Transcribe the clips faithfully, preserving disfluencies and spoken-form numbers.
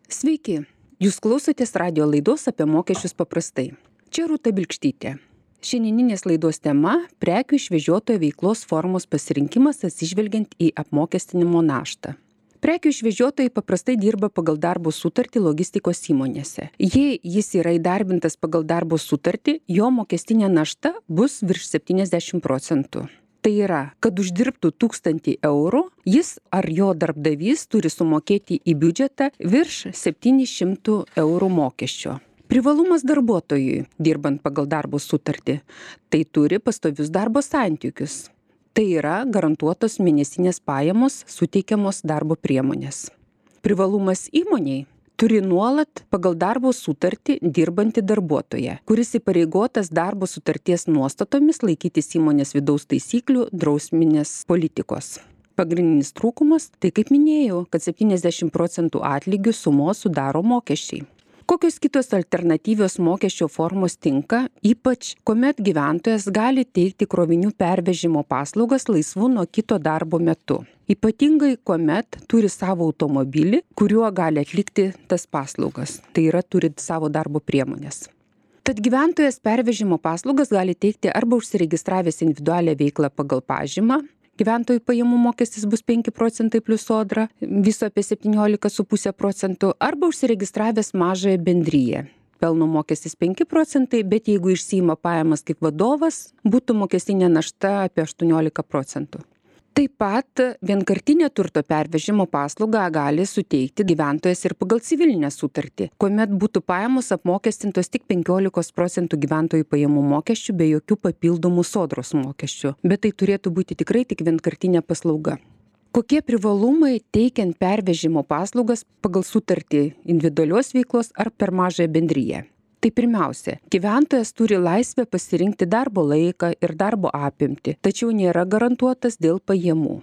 Sveiki, jūs klausotės radio laidos apie mokesčius paprastai. Čia Rūta Bilkštytė. Šiandieninės laidos tema – prekių išvežiotojo veiklos formos pasirinkimas atsižvelgiant į apmokestinimo naštą. Prekių išvežiotojai paprastai dirba pagal darbo sutartį logistikos įmonėse. Jei jis yra įdarbintas pagal darbo sutartį, jo mokestinė našta bus virš septyniasdešimt procentų. Tai yra, kad uždirbtų tūkstantį eurų, jis ar jo darbdavys turi sumokėti į biudžetą virš septynių šimtų eurų mokesčio. Privalumas darbuotojui, dirbant pagal darbo sutartį, tai turi pastovius darbo santykius. Tai yra garantuotos mėnesinės pajamos suteikiamos darbo priemonės. Privalumas įmoniai turi nuolat pagal darbo sutartį dirbantį darbuotoją, kuris įpareigotas darbo sutarties nuostatomis laikytis įmonės vidaus taisyklių drausminės politikos. Pagrindinis trūkumas, tai kaip minėjau, kad septyniasdešimt procentų atlygių sumos sudaro mokesčiai. Kokios kitos alternatyvios mokesčio formos tinka, ypač kuomet gyventojas gali teikti krovinių pervežimo paslaugas laisvu nuo kito darbo metu. Ypatingai kuomet turi savo automobilį, kuriuo gali atlikti tas paslaugas, tai yra turi savo darbo priemonės. Tad gyventojas pervežimo paslaugas gali teikti arba užsiregistravęs individualią veiklą pagal pažymą, gyventojų pajamų mokestis bus penki procentai plus sodra, viso apie septyniolika su puse procentų, arba užsiregistravęs mažąją bendriją. Pelno mokestis penki procentai, bet jeigu išsiima pajamas kaip vadovas, būtų mokestinė našta apie aštuoniolika procentų. Taip pat vienkartinę turto pervežimo paslaugą gali suteikti gyventojas ir pagal civilinę sutartį, kuomet būtų pajamos apmokestintos tik penkiolika procentų gyventojų pajamų mokesčių be jokių papildomų sodros mokesčių, bet tai turėtų būti tikrai tik vienkartinė paslauga. Kokie privalumai teikiant pervežimo paslaugas pagal sutartį individualios veiklos ar per mažąją bendriją? Tai pirmiausia, gyventojas turi laisvę pasirinkti darbo laiką ir darbo apimtį, tačiau nėra garantuotas dėl pajamų.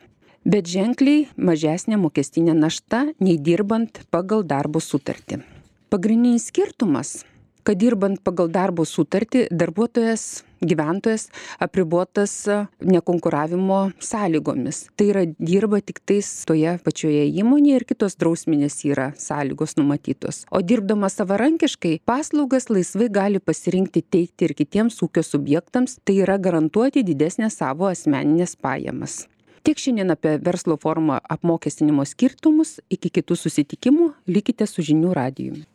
Bet ženkliai mažesnė mokestinė našta nei dirbant pagal darbo sutartį. Pagrindinis skirtumas, kad dirbant pagal darbo sutartį darbuotojas, gyventojas apribotas nekonkuravimo sąlygomis. Tai yra dirba tik tais toje pačioje įmonėje ir kitos drausminės yra sąlygos numatytos. O dirbdamas savarankiškai paslaugas laisvai gali pasirinkti teikti ir kitiems ūkio subjektams, tai yra garantuoti didesnę savo asmeninės pajamas. Tiek šiandien apie verslo formą apmokestinimo skirtumus, iki kitų susitikimų likite su žinių radijumi.